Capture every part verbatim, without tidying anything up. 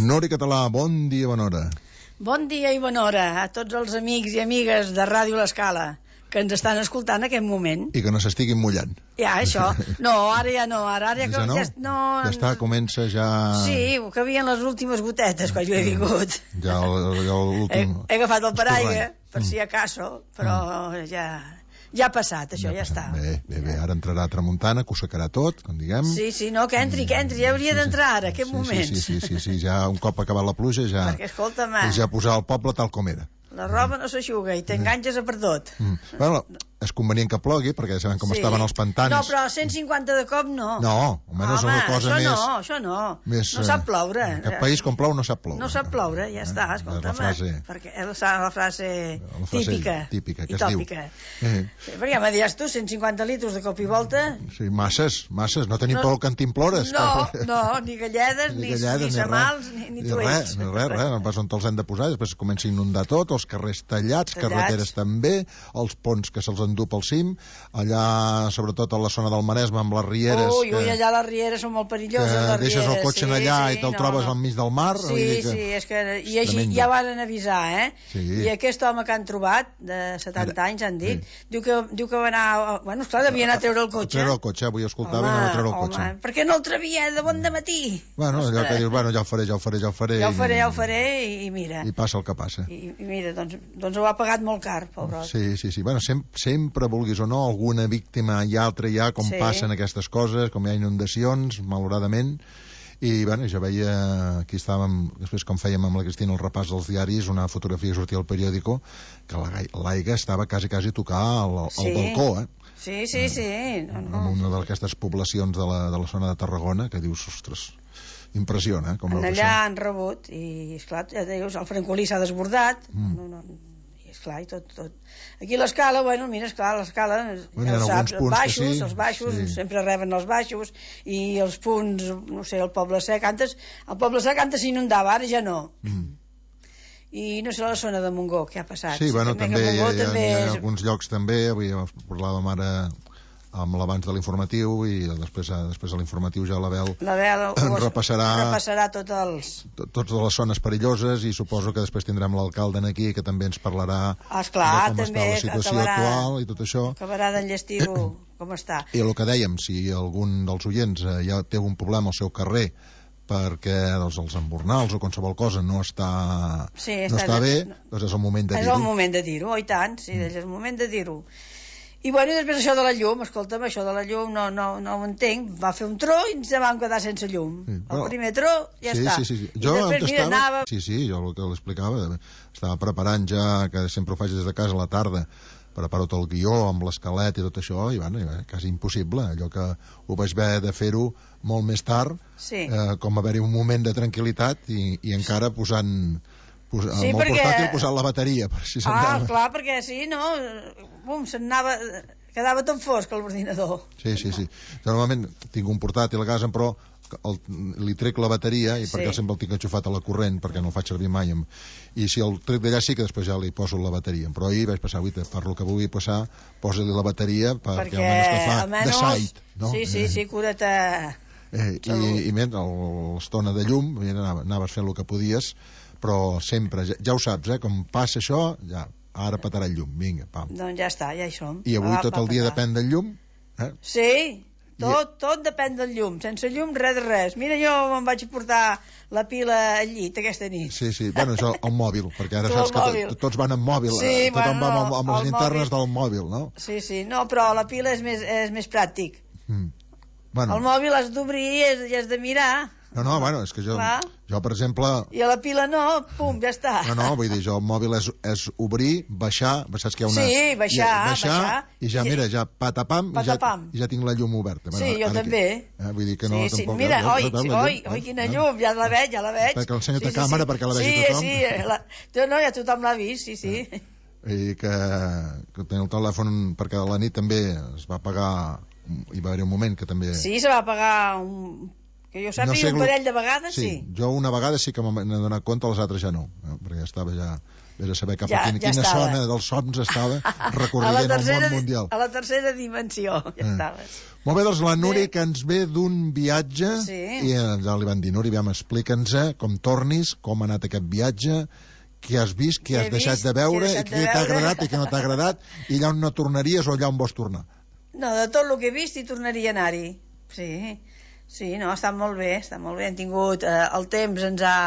Núria Català, bon dia, bona hora. Bon dia i bona hora a tots els amics i amigues de Ràdio L'Escala que ens estan escoltant en aquest moment. I que no s'estiguin mullant. Ja, això. No, ara ja no. Ara, ara ja, no? ja, no, ja està, comença ja... Sí, que havien les últimes gotetes quan jo he vingut. Ja l'últim... He, he agafat el paraigua, per si acaso, però mm. ja... Ja ha passat, això, ja, ja està. Bé, bé, bé, ara entrarà a tramuntana, que ho secarà tot, com diguem. Sí, sí, no, que entri, que entri, ja hauria sí, d'entrar ara, aquest sí, moment. Sí, sí, sí, sí, ja un cop acabat la pluja, ja... Perquè, escolta'm... Ja posar el poble tal com era. La roba no s'aixuga i t'enganges a per tot. Mm. Bueno, és convenient que plogui, perquè sabem com sí. estaven els pantanos. No, però cent cinquanta de cop no. No, almenys Home, una cosa això més... no, això no. Més, no sap ploure. En aquest país, com plou, no sap ploure. No sap ploure, ja està, escolta'm. La frase... Perquè és la frase, la frase típica. Típica, que i tòpica. Eh. Sí, perquè ja me diràs tu, cent cinquanta litres de cop i volta... Sí, masses, masses. No tenim no, prou cantimplores. No, no, ni galledes, ni, ni, ni samals, ni, ni tuells. Ni res, res, res. On els hem de posar, després comença a inundar tot, els carrers tallats, carreteres també, els ponts que se'ls endú pel cim, allà sobretot a la zona del Maresme amb les rieres. Ui, ui, allà les rieres són molt perilloses, les rieres. Deixes el cotxe sí, allà sí, i te'l no, trobes no. al mig del mar. Sí, que sí, és que i així ja van avisar, eh? Sí. I aquest home que han trobat, de setanta anys, han dit, sí. diu, que, diu que va anar... Bueno, esclar, devia anar a treure el cotxe. A treure el cotxe, avui escoltava i anar a treure el cotxe. Home, per què no el trevia de bon dematí? Bueno, allò que dius, bueno, ja ho faré, ja ho faré, ja ho faré. Ja ho faré, ja ho faré, i mira. I passa el que passa. I, i mira, doncs, doncs ho ha pagat molt car, pobrot. Sí, sí, sí. Bueno, sempre, sempre, vulguis o no, alguna víctima i altra hi ha, com sí. passen aquestes coses, com hi ha inundacions, malauradament. I, bueno, jo veia, aquí estàvem, després com fèiem amb la Cristina el repàs dels diaris, una fotografia que sortia al periòdico, que l'aigua estava quasi, quasi a tocar al, al sí. balcó, eh? Sí, sí, sí. No, no. En una d'aquestes poblacions de la, de la zona de Tarragona, que dius, ostres, impressiona, eh? Com en allà han rebut, i, esclar, ja dius, el francolí s'ha desbordat, mm. no, no, esclar, i tot, tot. Aquí l'Escala, bueno, mira, esclar, l'Escala, bueno, ja ho saps, els baixos, sí, els baixos, sí. sempre reben els baixos, i els punts, no sé, el Poble Sec, antes, el Poble Sec antes s'inundava, ara ja no. Mm. I no sé la zona de Montgó, què ha passat? Sí, bueno, també, també, hi ha, també hi ha, és... hi ha alguns llocs també, avui parlàvem ara amb l'abans de l'informatiu i després, després de l'informatiu ja la Bel, la Bel repassarà, repassarà tots els... To, tots les zones perilloses i suposo que després tindrem l'alcalde aquí que també ens parlarà Esclar, de com també, està la situació acabarà, actual i tot això. Acabarà d'enllestir-ho com està. I el que dèiem, si algun dels oients eh, ja té un problema al seu carrer perquè doncs, els embornals o qualsevol cosa no està, sí, no està, està bé, no, doncs és el moment de dir-ho. És el moment de dir-ho, oh, i tant, sí, mm. és el moment de dir-ho. I bueno, i després això de la llum, escolta'm, això de la llum no, no, no ho entenc, va fer un tro i ens vam quedar sense llum. Sí, el bueno, primer tro ja sí, està. Sí, sí, sí. I jo després, mira, estava... anava... Sí, sí, jo el que l'explicava, estava preparant ja, que sempre ho faig des de casa a la tarda, preparo tot el guió amb l'esquelet i tot això, i bueno, quasi impossible, allò que ho vaig haver de fer-ho molt més tard, sí. eh, com haver-hi un moment de tranquil·litat i, i encara posant... Pos, sí, amb el perquè... portàtil posant la bateria per si ah, clar, perquè sí, no bum, se'n anava, quedava tot fosc a l'ordinador. Sí, sí, sí, jo normalment tinc un portàtil a casa però el, li trec la bateria i sí. perquè sempre el tinc enxufat a la corrent perquè no el faig servir mai amb... i si el trec d'allà sí que després ja li poso la bateria, però ahir vaig passar, avui per lo que vulgui passar, posa-li la bateria perquè, perquè almenys que fa almenys... de site, no? Sí, sí, sí, cura't a... eh, i, i mira, l'estona de llum mira, anaves fent el que podies però sempre, ja, ja ho saps, eh? Com passa això, ja, ara petarà el llum, vinga, pam. Doncs ja està, ja hi som. I avui va, tot el dia depèn del llum? Eh? Sí, tot, I... tot depèn del llum, sense llum res de res. Mira, jo me'n vaig portar la pila al llit aquesta nit. Sí, sí, bueno, això, el mòbil, perquè ara saps que tots van amb mòbil, sí, tothom bueno, va amb, amb les linternes mòbil. del mòbil, no? Sí, sí, no, però la pila és més, és més pràctic. Mm. Bueno. El mòbil has d'obrir i has, has de mirar. No, no, bueno, és que jo, jo, per exemple... I a la pila no, pum, ja està. No, no, vull dir, jo el mòbil és, és obrir, baixar, saps que hi ha una... Sí, baixar, i, baixar, baixar. I ja, mira, ja patapam, patapam. I, ja, i ja tinc la llum oberta. Sí, bueno, jo també. Aquí, eh, vull dir que no, sí, sí. tampoc... Mira, ja, oi, ja, ja, oi, oi, quina llum, ja la veig, ja la veig. Perquè l'ensenyo sí, a càmera, sí, perquè la vegi sí, tothom. Sí, sí, la... jo no, ja tothom l'ha vist, sí, sí. Eh. I que, que tenia el telèfon, perquè a la nit també es va apagar, hi va haver un moment que també... Sí, se va apagar un... Que jo sàpiga, no sé, un parell de vegades, sí. Sí, jo una vegada sí que m'he donat compte, les altres ja no, eh? perquè estava ja Vés a saber cap a quina, quina zona dels somnis estava recorrent el món mundial. A la tercera dimensió, ja eh. estaves. Molt bé, doncs la Núria, que ens ve d'un viatge, sí. i ja li van dir, Núria, aviam, explica'ns com tornis, com ha anat aquest viatge, què has vist, què has vist, deixat de veure, i què t'ha agradat i què no t'ha agradat, i allà on no tornaries o allà on vols tornar. No, de tot el que he vist hi tornaria a anar-hi. Sí, sí, no, està molt bé, està molt bé. Hem tingut, eh, el temps ens ha...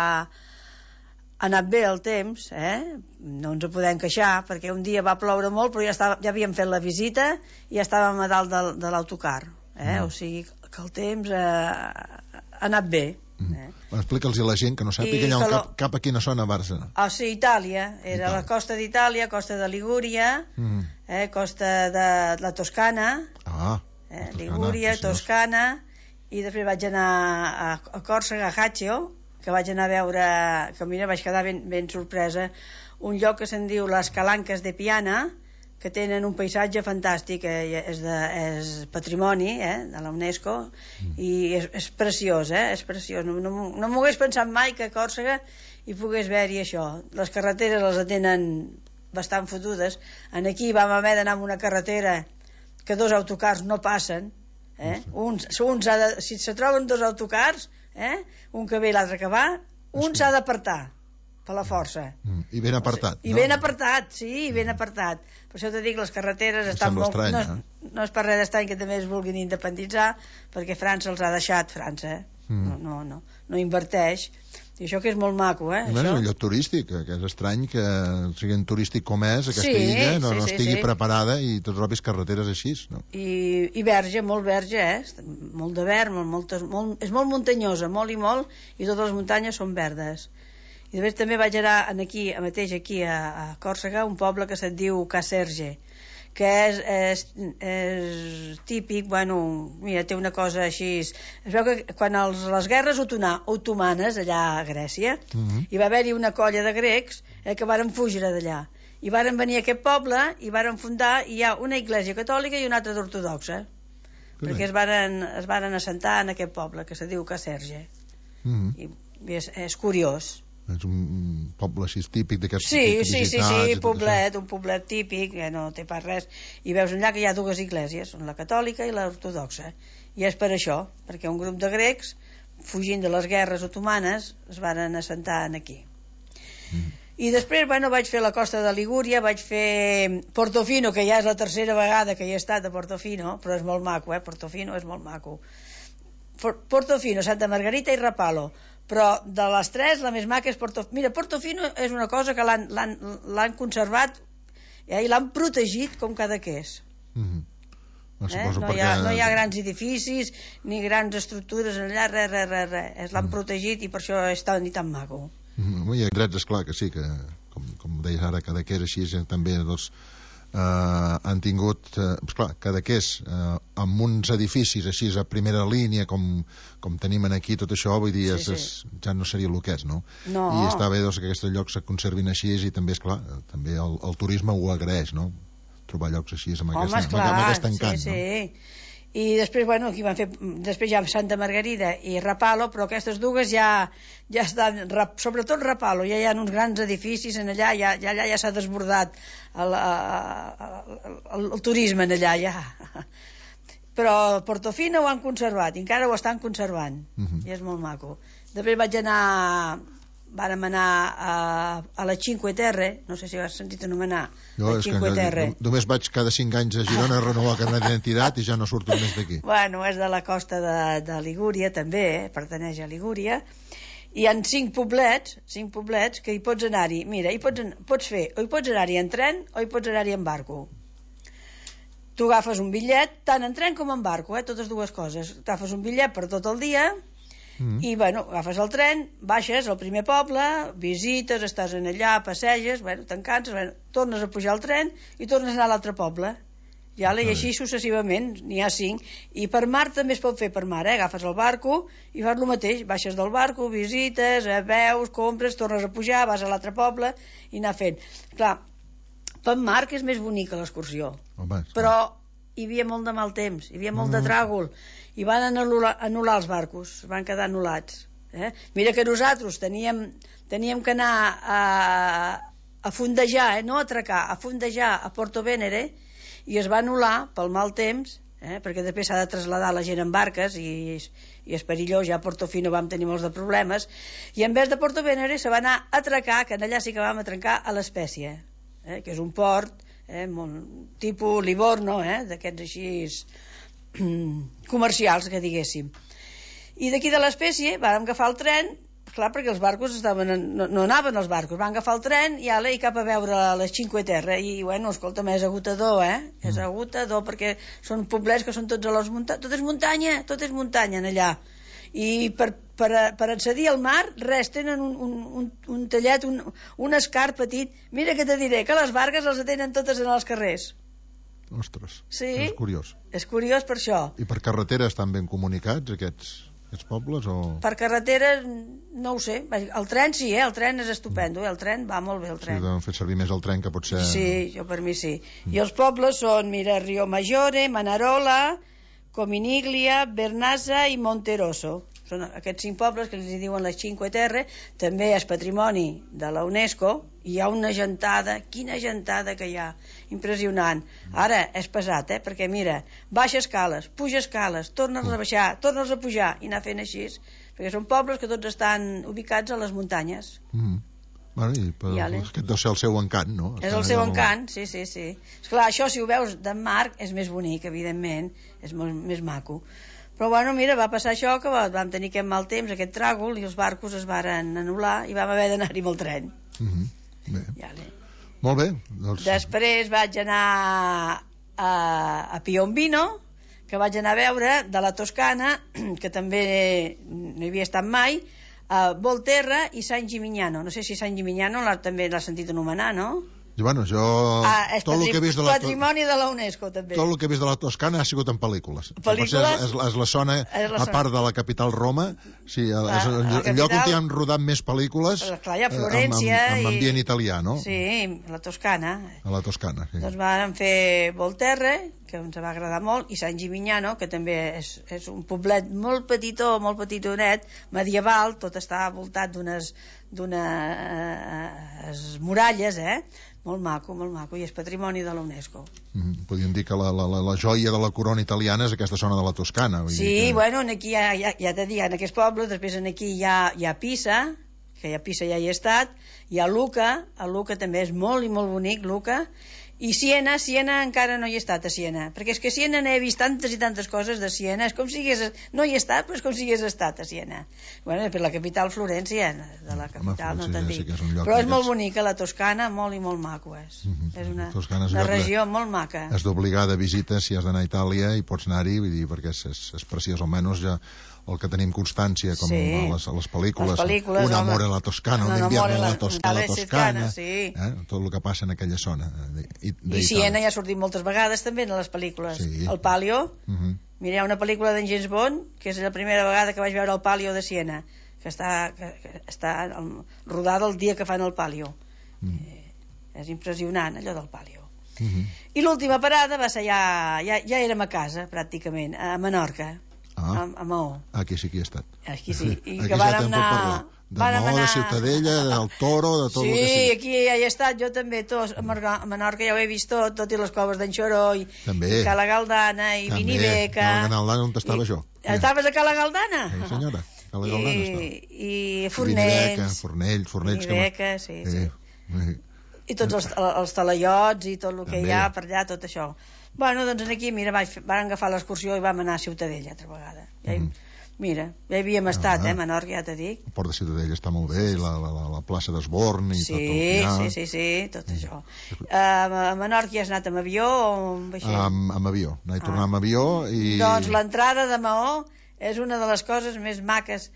ha anat bé el temps, eh? No ens ho podem queixar, perquè un dia va ploure molt, però ja, estava, ja havíem fet la visita i ja estàvem a dalt de, de l'autocar, eh? Mm. O sigui que el temps eh, ha anat bé. Mm. Eh? Bueno, explica'ls a la gent que no sàpiga allà lo... cap, cap a quina zona vas anar. Ah, sí, Itàlia, era Itàlia. La costa d'Itàlia, costa de Ligúria, mm. eh, costa de la Toscana, ah, eh, Toscana, Ligúria, Toscana, i després vaig anar a, a Còrsega, a Ajaccio, que vaig anar a veure, que mira, vaig quedar ben, ben sorpresa, un lloc que se'n diu les Calanques de Piana, que tenen un paisatge fantàstic, eh, és, de, és patrimoni eh, de la UNESCO, mm. i és, és preciós, eh, és preciós. No, no, no m'ho hagués pensat mai que a Còrsega hi pogués haver-hi això. Les carreteres les tenen bastant fotudes. En aquí vam haver d'anar amb una carretera que dos autocars no passen, eh? Uns, uns ha de, si se troben dos autocars, eh? Un que ve i l'altre que va, un s'ha d'apartar per la força. Mm. I ben apartat. I no? ben apartat, sí, i ben apartat. Per això t'ho dic, les carreteres estan molt... Estrany, no, eh? no és per res d'estrany que també es vulguin independitzar, perquè França els ha deixat, França, eh? Mm. No, no, no, no inverteix. I això que és molt maco, eh? Bueno, això... un lloc turístic, que és estrany que sigui turístic com és, aquesta sí, illa, no, sí, no sí, estigui sí. preparada i tots trobis carreteres així, no? I, i verge, molt verge, eh? Molt de verd, molt, moltes, molt, és molt muntanyosa, molt i molt, i totes les muntanyes són verdes. I després també vaig anar aquí, mateix aquí a, a Còrsega, un poble que se't diu Caserge, que és, és, és típic, bueno, mira, té una cosa així... Es veu que quan els, les guerres otomanes, allà a Grècia, uh-huh. hi va haver-hi una colla de grecs eh, que varen fugir d'allà. I varen venir a aquest poble i varen fundar, i hi ha una església catòlica i una altra d'ortodoxa, perquè es varen, es varen assentar en aquest poble, que se diu Caserge. Uh-huh. I, i és, és curiós. És un poble així típic d'aquests sí, sí, sí, sí, poblet, un poblet típic, que no té pas res, i veus allà que hi ha dues esglésies, la catòlica i l'ortodoxa, i és per això, perquè un grup de grecs, fugint de les guerres otomanes, es varen assentar aquí. Mm. I després, bueno, vaig fer la costa de Ligúria, vaig fer Portofino, que ja és la tercera vegada que hi he estat a Portofino, però és molt maco, eh? Portofino és molt maco. Portofino, Santa Margarita i Rapallo, però de les tres la més maca és Portofino. Mira, Portofino és una cosa que l'han conservat eh, i l'han protegit com Cadaqués. Mm-hmm. no, eh? no, perquè... hi ha, no hi ha grans edificis ni grans estructures allà, res, res, res, res. l'han mm. protegit i per això és tan i tan maco. Mm-hmm. Hi ha drets, esclar que sí, que com, com deies ara, Cadaqués així també doncs, Uh, han tingut, uh, esclar, Cadaqués uh, amb uns edificis així a primera línia com, com tenim aquí, tot això vull dir, sí, és, sí. És, ja no seria el que és, no? no. I està bé doncs, que aquests llocs se conservin així i també, esclar, també el, el turisme ho agraeix, no? Trobar llocs així amb, Home, aquesta, esclar, amb aquest encant, sí, sí. No? I després, bueno, aquí van fer, després ja Santa Margarida i Rapallo, però aquestes dues ja, ja estan, sobretot Rapallo, ja hi ha uns grans edificis en allà, ja, ja, allà ja s'ha desbordat el, el, el, el turisme en allà, ja. Però Portofino ho han conservat, i encara ho estan conservant, uh-huh. i és molt maco. Després vaig anar... Vàrem anar a, a la Cinque Terre, no sé si ho has sentit anomenar, jo, la Cinque Terre. Només vaig cada cinc anys a Girona a renovar el carnet d'identitat i ja no surto més d'aquí. Bueno, és de la costa de, de Ligúria, també, eh? Pertaneix a Ligúria. Hi ha cinc poblets, cinc poblets que hi pots anar-hi. Mira, hi pots, pots fer, o hi pots anar-hi en tren o hi pots anar-hi en barco. Tu agafes un bitllet, tant en tren com en barco, eh? Totes dues coses. Agafes un bitllet per tot el dia... Mm. I, bueno, agafes el tren, baixes al primer poble, visites, estàs en allà, passeges, bueno, te'n canses, bueno, tornes a pujar al tren i tornes a anar a l'altre poble. Ja, i així successivament, n'hi ha cinc. I per mar també es pot fer per mar, eh? Agafes el barco i fas el mateix, baixes del barco, visites, eh, veus, compres, tornes a pujar, vas a l'altre poble i anar fent. Clar, per mar que és més bonica l'excursió, però hi havia molt de mal temps, hi havia molt mm. de tràgol, i van anul·lar, anul·lar els barcos, van quedar anul·lats. Eh? Mira que nosaltres teníem, teníem que anar a, a fondejar, eh, no a atracar, a fondejar a Porto Venere, i es va anul·lar pel mal temps, eh, perquè després s'ha de traslladar la gent en barques i, i és perillós. Ja a Portofino vam tenir molts de problemes, i en vez de Porto Venere se va anar a atracar, que allà sí que vam atrencar a l'Espècie, eh, que és un port eh, molt, tipus Livorno, eh, d'aquests així comercials, que diguéssim. I d'aquí de l'Espècie vam agafar el tren, clar, perquè els barcos estaven, no, no anaven els barcos, van agafar el tren i, ale, i cap a veure les Cinque Terre, i bueno, escolta, és agotador, eh? Mm. És agotador, perquè són poblets que són tots a les muntanyes, tot és muntanya, tot és muntanya en allà, i per, per, per accedir al mar, res, tenen un, un, un, un tallet, un, un escart petit. Mira que te diré, que les barques les tenen totes en els carrers. Ostres, sí? És curiós. És curiós per això. I per carretera estan ben comunicats aquests, aquests pobles? O... Per carretera no ho sé. El tren sí, eh? El tren és estupendo, eh? El tren va molt bé, el tren. Sí, deuen fer servir més el tren que potser... Sí, jo per mi sí. Mm. I els pobles són, mira, Rio Maggiore, Manarola, Cominiglia, Vernazza i Monterosso. Són aquests cinc pobles que els diuen les Cinque Terre. També és patrimoni de la UNESCO, i hi ha una gentada, quina gentada que hi ha, impressionant. Ara és pesat, eh? Perquè mira, baixa escales, puja escales, tornes a baixar, tornes a pujar, i anar fent així, perquè són pobles que tots estan ubicats a les muntanyes. Mm. Bueno, i per, aquest deu ser el seu encant, no? És el seu encant, sí, sí, sí. Esclar, això si ho veus de mar és més bonic, evidentment, és molt més maco. Però bueno, mira, va passar això, que vam tenir aquest mal temps, aquest tràgol, i els barcos es varen anul·lar i vam haver d'anar-hi amb el tren. Mm-hmm. Bé. Ja, molt bé. Doncs... Després vaig anar a, a Piombino, que vaig anar a veure, de la Toscana, que també no hi havia estat mai, a Volterra i San Gimignano. No sé si San Gimignano també l'ha sentit anomenar, no? Bueno, jo... Ah, és tot patri... el que he vist de la... patrimoni de la UNESCO, també. Tot el que he vist de la Toscana ha sigut en pel·lícules. Pel·lícules? És, és, és la zona, és la a part de la capital Roma, sí, és el, el capital... lloc on hi han rodat més pel·lícules, clar, hi ha Florència, amb, amb, amb ambient i... italià, no? Sí, la Toscana. A la Toscana, sí. Doncs vam fer Volterra, que ens va agradar molt, i San Gimignano, que també és, és un poblet molt petitó, molt petitonet, medieval, tot està voltat d'unes d'unes muralles, eh? Molt maco, molt maco, i és patrimoni de la UNESCO. Mm, podríem dir que la, la, la joia de la corona italiana és aquesta zona de la Toscana. Vull sí, dir que... bueno, aquí ja, ja, ja t'he dit, en aquests pobles, després aquí hi ha, hi ha Pisa, que hi ha Pisa ja hi he estat, hi ha Lucca, a Lucca també és molt i molt bonic, Lucca, i Siena, Siena encara no hi he estat, a Siena, perquè és que a Siena n'he vist tantes i tantes coses de Siena, és com si hagués, no hi he estat, però és com si hagués estat a Siena. Bueno, per la capital, Florència, de la capital, Home, no te'n dic. Sí és però és molt bonica, la Toscana, molt i molt maco és. Mm-hmm. És una, és una regió de, molt maca. És d'obligada visita si has d'anar a Itàlia i pots anar-hi, vull dir, perquè és, és, és preciós, almenys ja el que tenim constància, com sí. a, les, a les pel·lícules, les pel·lícules un amor a la Toscana, un invierno a la, Tosca, la Toscana, sí. eh? Tot el que passa en aquella zona. I, I Siena ja ha sortit moltes vegades també en les pel·lícules. Sí. El Palio, uh-huh. mira, hi ha una pel·lícula d'en James Bond, que és la primera vegada que vaig veure el Palio de Siena, que està, que, que està rodada el dia que fan el Palio. Uh-huh. Eh, és impressionant, allò del Palio. Uh-huh. I l'última parada va ser ja, ja, ja érem a casa, pràcticament, a Menorca. Ah. A, a Maó. Aquí sí que he estat. Aquí sí. I aquí que vàrem anar... De Maó, anar... de Ciutadella, del Toro, de tot sí, el que sigui. Sí, aquí ja he estat, jo també, tot, a Menorca ja ho he vist tot, tot i les coves d'en Xoró, i, i Cala Galdana, i Vinibeca. Cala Galdana, on estava jo? Estaves a Cala Galdana? Sí, senyora, Cala Galdana estava. I, i Fornells. Fornells, Fornells. Vinibeca, que... sí, sí. sí. I tots els, els talaiots i tot el que també. Hi ha per allà, tot això. Bueno, doncs aquí, mira, vaig, vam agafar l'excursió i vam anar a Ciutadella altra vegada. Ja hi, mm. Mira, ja hi havíem estat, ah, eh, Menorca, ja t'he dit. El port de Ciutadella està molt bé, sí, sí. La, la, la plaça d'Esborn i sí, tot el que hi ha. Sí, sí, sí, tot mm. això. Uh, a Menorca has anat amb avió o amb vaixell? Amb, amb avió, anar i tornar ah. amb avió i... Doncs l'entrada de Maó és una de les coses més maques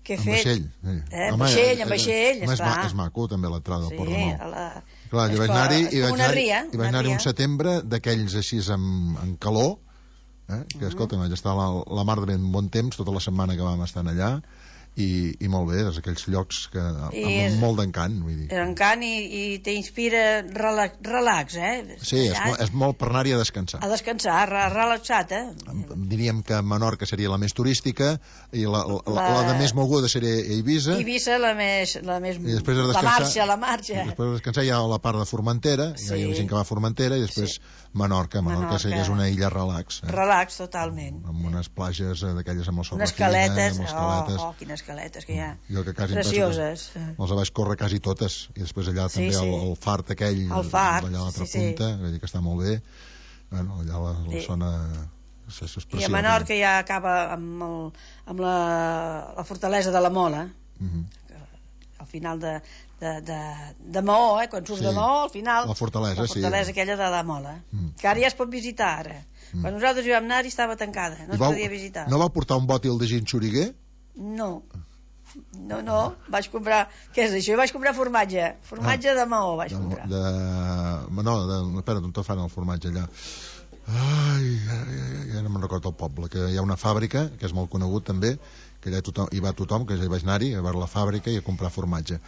que he fet. Amb vaixell, sí. Eh, amb vaixell, amb vaixell, és, és, és maco també l'entrada del sí, port de Maó. A la... Clar, jo vaig anar-hi i vaig anar-hi anar anar un setembre d'aquells així amb, amb calor, eh? que uh-huh. escolta, vaig estar la, la mar de ben bon temps tota la setmana que vam estar allà i, i molt bé, és aquells llocs que amb és, molt d'encant, vull dir. Encant i, i t'inspira relax, relax, eh? Sí, és, és molt per anar-hi a descansar. A descansar, relaxat, eh? diríem que Menorca seria la més turística i la, la, la, la de més moguda seria Eivissa. Eivissa la més... La, més, I després de la marxa, la marxa. I després de descansar hi ha la part de Formentera, sí. Hi ha gent que va a Formentera, i després sí. Menorca. Menorca, Menorca seria és una illa relax. Eh? Relax, totalment. Amb unes plages d'aquelles amb la sorra unes fina. Caletes. Amb les caletes. Oh, oh, quines caletes que hi ha. Jo que quasi precioses. Els vaig córrer quasi totes. I després allà sí, també sí. El, el fart aquell, el fart, allà a l'altra sí, punta, sí. que està molt bé. Bueno, allà la, la sí. zona... I a Menorca ja acaba amb, el, amb la, la fortalesa de la Mola, uh-huh. al final de, de, de, de Maó, eh? Quan surts sí. de Maó, al final... La fortalesa, la fortalesa sí. aquella de la Mola, uh-huh. que ara ja es pot visitar, ara. Uh-huh. Quan nosaltres hi vam anar-hi estava tancada, no I es vau, podia visitar. No va portar un bòtil de gin xuriguer? No. No, no, vaig comprar... Què és això? Jo vaig comprar formatge. Formatge ah, de Maó vaig de, comprar. De... No, de... espera, on fan el formatge allà? Ai, ai, ai, ja no me'n recordo el poble, que hi ha una fàbrica, que és molt conegut també, que allà tothom, hi va tothom, que ja hi vaig anar-hi, a veure la fàbrica i a comprar formatge.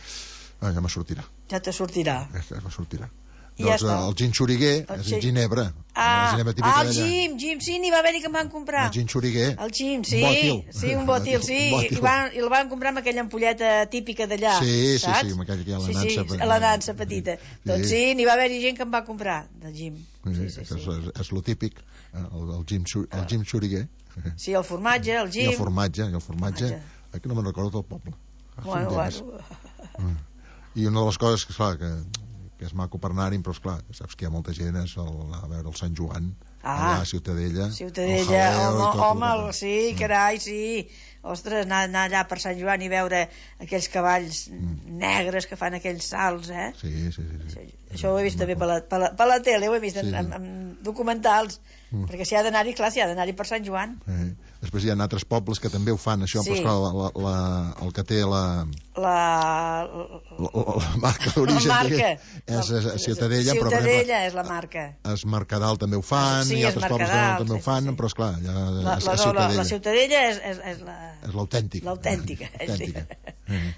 Ah, ja me sortirà. Ja te sortirà. Ja, ja me sortirà. I doncs ja el gin xuriguer és el ginebra. Ah, ah el gim, gim, sí, n'hi va haver-hi que em van comprar. El gin xuriguer. El gim, sí. Un bòtil. Sí, un bòtil, sí. Un bòtil. I, van, I el van comprar amb aquella ampolleta típica d'allà, sí, saps? Sí, sí, amb aquella que hi ha la sí, nansa. Sí, la nansa petita. Sí. Doncs sí, n'hi va haver-hi gent que em va comprar de gim. Sí, sí, sí, sí. És, és, és lo típic, el, el gim, el gim xuriguer. Sí, el formatge, el gim. I el formatge, i el formatge. Aquí no me'n recordo del poble. Bueno, bueno. I una de les coses que, esclar, que que és maco per anar-hi, però esclar, saps que hi ha molta gent és el, a veure el Sant Joan, ah, allà a Ciutadella, Ciutadella, home, home, el, sí, carai, sí, ostres, anar, anar allà per Sant Joan i veure aquells cavalls mm. negres que fan aquells salts, eh? Sí, sí, sí, sí. Això, això ho he vist també per la, per, la, per la tele, ho he vist sí, en, en, en documentals, mm. perquè si ha d'anar-hi, clar, si ha d'anar-hi per Sant Joan. Eh. Després hi ha altres pobles que també ho fan, això, sí. però esclar, la, la, la, el que té la... La... La, la, la marca d'origen és a Ciutadella, però per exemple... Ciutadella és la marca. Es Mercadal també ho fan, sí, i altres pobles que també ho fan, sí, sí. Però esclar, ja, la, la, a Ciutadella. La, la Ciutadella és, és, és la... És l'autèntica. L'autèntica, sí.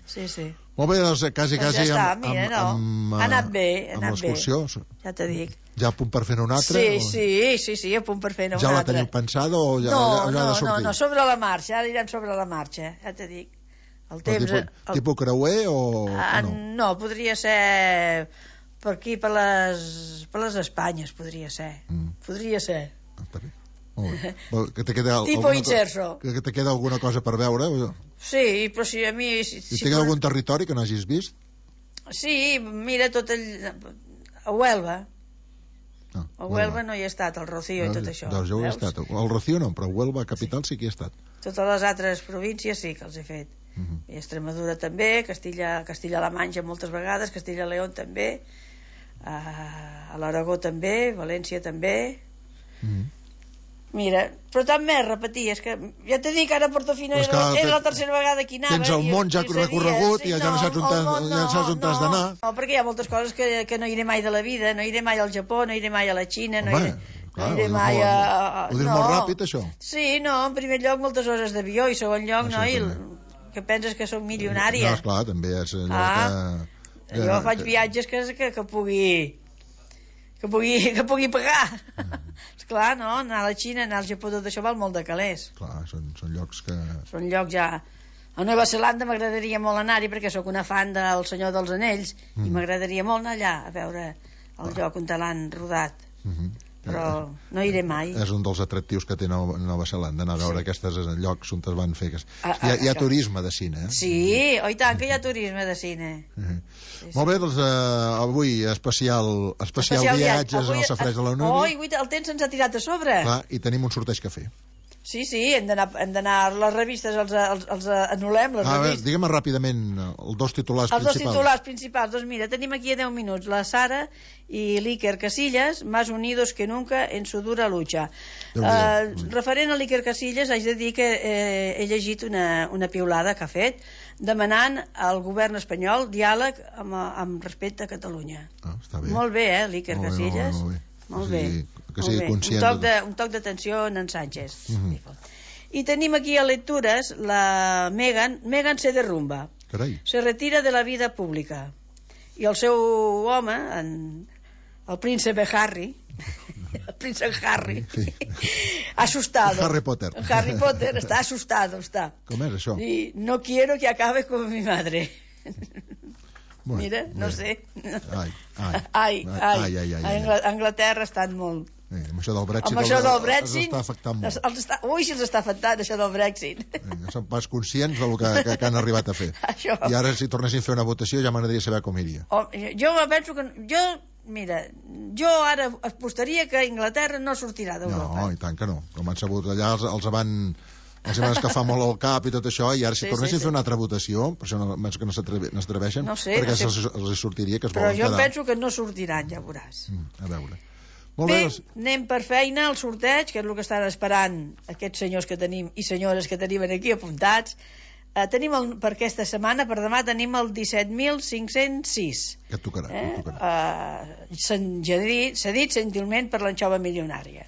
Sí, sí. Molt bé, doncs quasi, doncs quasi ja està, amb, mira, amb, no. amb, ha anat bé, ha amb anat bé. Ja te dic. Ja a punt per fer-ne una altra? Sí, o... sí, sí, sí, a punt per fer-ne una ja altra. Ja la teniu pensada o ja, no, ja, ja no, ha de sortir? No, no, sobre la marxa, ara anirem sobre la marxa, ja te dic. El temps... Tipus, el... tipus creuer o, ah, o no? No, podria ser per aquí, per les, per les Espanyes, podria ser. Mm. Podria ser. Ah, està bé. Molt bé. Que te queda tipo alguna, Itxerso. Que te queda alguna cosa per veure? O... Sí, però si a mi... Si, si, si té per... algun territori que no hagis vist? Sí, mira tot el... A Huelva. No, a Huelva no hi he estat, el Rocío no, i tot això. Doncs jo ho he estat. El Rocío no, però Huelva, capital, sí, sí que hi he estat. Totes les altres províncies sí que els he fet. Uh -huh. I Extremadura també, Castilla, Castilla-La Manxa moltes vegades, Castilla-León també, a l'Aragó també, València també. Uh -huh. Mira, però tant més repetir, és que ja t'he dit que ara a Portofino era, que era la tercera vegada que hi anava. Tens el món ja recorregut i ja no saps on t'has d'anar. No, perquè hi ha moltes coses que, que no iré mai de la vida, no iré mai al Japó, no iré mai a la Xina, no iré... Clar, no iré mai a... Ho dius no. molt ràpid, això? Sí, no, en primer lloc moltes hores d'avió i segon lloc, no, i que penses que soc milionària. No, esclar, també és allò ah, que... Jo faig viatges que, que, que pugui... que pugui, que pugui pagar. Mm. Esclar, no? Anar a la Xina, anar al Japó, tot això val molt de calés. Clar, són, són llocs que... Són llocs ja... A Nova Zelanda m'agradaria molt anar-hi perquè sóc una fan del Senyor dels Anells mm. i m'agradaria molt anar allà a veure el ah. lloc on te l'han rodat. Mm-hmm. Però no iré mai. És un dels atractius que té Nova, Nova Zelanda, anar a veure sí. aquests llocs on es van fer. Ah, hi, ha, hi ha turisme de cine, eh? Sí, oh, i tant que hi ha turisme de cine. Uh-huh. Sí, molt bé, doncs uh, avui especial, especial, especial viatges avui, en el Safareig de la Unió. Oh, i el temps ens ha tirat a sobre. Clar, i tenim un sorteig que fer. Sí, sí, hem d'anar a les revistes, els, els, els anul·lem, les ah, revistes. Digue'm ràpidament els dos titulars els principals. Els dos titulars principals, doncs mira, tenim aquí a deu minuts la Sara i l'Iker Casillas, más unidos que nunca en su dura lucha. Uh, referent a l'Iker Casillas, haig de dir que eh, he llegit una, una piulada que ha fet demanant al govern espanyol diàleg amb, amb respecte a Catalunya. Ah, està bé. Molt bé, eh, l'Iker Casillas. Molt bé, molt bé. Molt bé. Que sigui conscient un toc de, un toc d'atenció en Sánchez. Uh-huh. I tenim aquí a lectures la Megan Megan se derrumba. Carai. Se retira de la vida pública i el seu home en, el príncipe Harry el príncipe Harry. Sí. Asustado. Harry Potter. Harry Potter está asustado, está. Com és això? Y no quiero que acabe con mi madre. Bueno, Mira, no bé. sé. Ai, ai. Ai, ai. ai, ai, ai, A ai. Angl- a Anglaterra estan molt... Eh, amb això del Brexit, Amb això els, del els Brexit... està afectant molt. els- els està, ui, si els està afectant, això del Brexit. Eh, no són pas conscients del que, que, que han arribat a fer. Això. I ara, si tornessin a fer una votació, ja m'agradaria saber com iria. Oh, jo penso que... Jo, mira, jo ara apostaria que Anglaterra no sortirà d'Europa. No, i tant que no. Com han sabut allà, els, els van... els van escafar molt el cap i tot això, i ara si Sí, tornessin sí, a fer sí. una altra votació, per això no, que no s'atreve- no s'atreveixen, No sé, perquè no sé. se'ls els sortiria que es Però volen jo quedar. penso que no sortiran, ja veuràs. Mm, a veure. Molt Bé, bé, doncs, anem per feina al sorteig, que és el que estan esperant aquests senyors que tenim i senyores que tenim aquí apuntats. Eh, tenim el, per aquesta setmana, per demà, tenim el disset mil cinc-cents sis. que et tocarà, Eh? que et tocarà. Eh, s'han dit, s'ha dit gentilment per l'anxova milionària.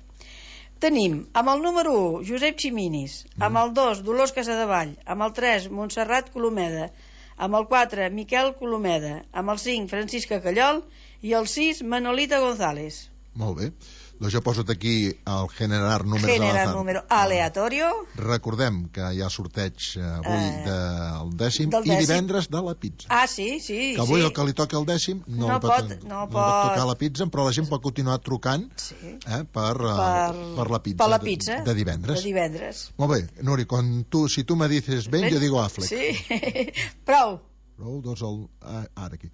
Tenim amb el número u Josep Ximinis, amb el dos Dolors Casadevall, amb el tres Montserrat Colomeda, amb el quatre Miquel Colomeda, amb el cinc Francisca Callol i el sis Manolita González. Molt bé. Doncs jo poso aquí el generar números Generar al azar. número aleatorio. Recordem que hi ha sorteig eh, avui Eh, del dècim del i dècim. divendres de la pizza. Ah, sí, sí. Que avui sí. el que li toca el dècim no, No li pot, pot- no no pot. pot tocar la pizza, però la gent pot continuar trucant Sí. eh, per, eh, Per, per la pizza, per la de- pizza de, divendres. De divendres. Molt bé, Nuri, quan tu, si tu me dices ben, jo digo Affleck. Sí, prou. Prou, doncs el, ah, ara aquí.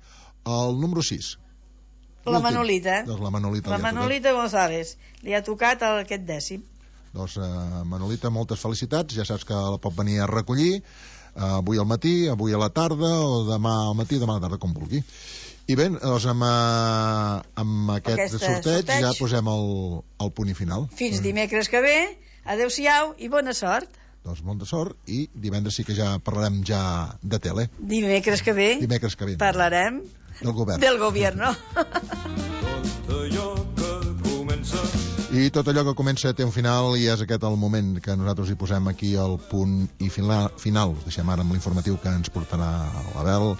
El número sis. La Manolita. Doncs la Manolita. La li ha tocat. Manolita González. Li ha tocat el, aquest dècim. Doncs, eh, Manolita, moltes felicitats. Ja saps que la pot venir a recollir eh, avui al matí, avui a la tarda, o demà al matí, demà a la tarda, com vulgui. I bé, doncs amb, eh, amb aquest Aquesta sorteig, sorteig. ja posem el, el punt i final. Fins dimecres que ve. Adéu-siau i bona sort. Doncs molt de sort, i divendres sí que ja parlarem ja de tele. Dimecres que ve Dimecres que ve. parlarem Del govern. del gobierno. Tot allò que comença I tot allò que comença té un final, i és aquest el moment que nosaltres hi posem aquí el punt i final. final. Us deixem ara amb l'informatiu que ens portarà l'Abel,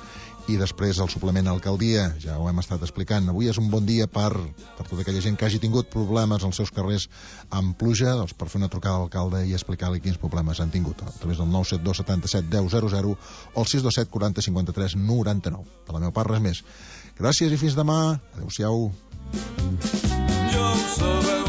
i després el suplement a Alcaldia. Ja ho hem estat explicant. Avui és un bon dia per, per tota aquella gent que hagi tingut problemes als seus carrers amb pluja, doncs per fer una trucada a l'alcalde i explicar-li quins problemes han tingut a través del nou set dos setanta-set deu zero zero o el sis dos set quaranta cinquanta-tres noranta-nou. De la meva part, res més. Gràcies i fins demà. Adéu-siau. ja ho sabeu.